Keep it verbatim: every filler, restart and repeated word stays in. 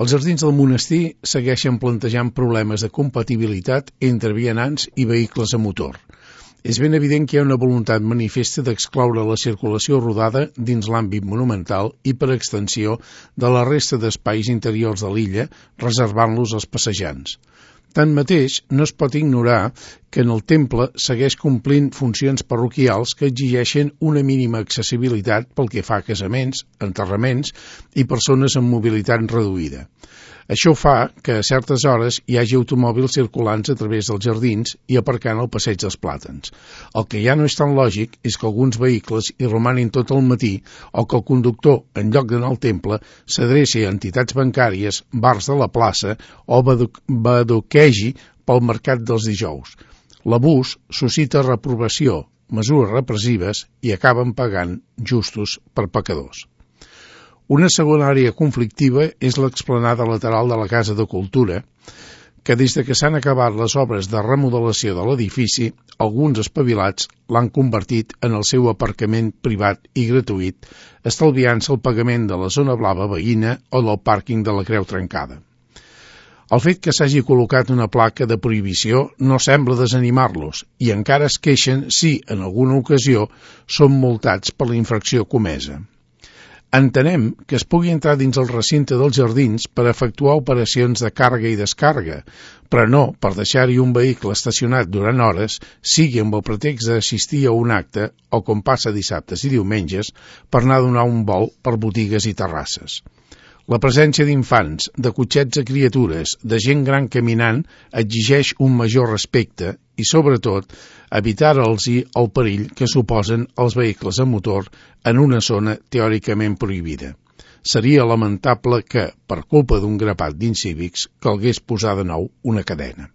Els jardins del monestir segueixen plantejant problemes de compatibilitat entre vianants i vehicles a motor. És ben evident que hi ha una voluntat manifesta d'excloure la circulació rodada dins l'àmbit monumental i, per extensió, de la resta d'espais interiors de l'illa, reservant-los als passejants. Tanmateix, no es pot ignorar que en el temple segueix complint funcions parroquials que exigeixen una mínima accessibilitat pel que fa a casaments, enterraments i persones amb mobilitat reduïda. Això fa que a certes hores hi hagi automòbils circulants a través dels jardins i aparcant al passeig dels Plàtans. El que ja no és tan lògic és que alguns vehicles hi romanin tot el matí o que el conductor, en lloc d'anar al temple, s'adreci a entitats bancàries, bars de la plaça o badoquegi pel mercat dels dijous. L'abús suscita reprovació, mesures repressives i acaben pagant justos per pecadors. Una segona àrea conflictiva és l'explanada lateral de la Casa de Cultura, que des de que s'han acabat les obres de remodelació de l'edifici, alguns espavilats l'han convertit en el seu aparcament privat i gratuït, estalviant-se el pagament de la zona blava veïna o del pàrquing de la Creu Trencada. El fet que s'hagi col·locat una placa de prohibició no sembla desanimar-los i encara es queixen si, en alguna ocasió, són multats per la infracció comesa. Entenem que es pugui entrar dins el recinte dels jardins per efectuar operacions de càrrega i descàrrega, però no per deixar-hi un vehicle estacionat durant hores, sigui amb el pretext d'assistir a un acte o, com passa dissabtes i diumenges, per anar a donar un vol per botigues i terrasses. La presència d'infants, de cotxets a criatures, de gent gran caminant, exigeix un major respecte i, sobretot, evitar-los-hi el perill que suposen els vehicles a motor en una zona teòricament prohibida. Seria lamentable que, per culpa d'un grapat d'incívics, calgués posar de nou una cadena.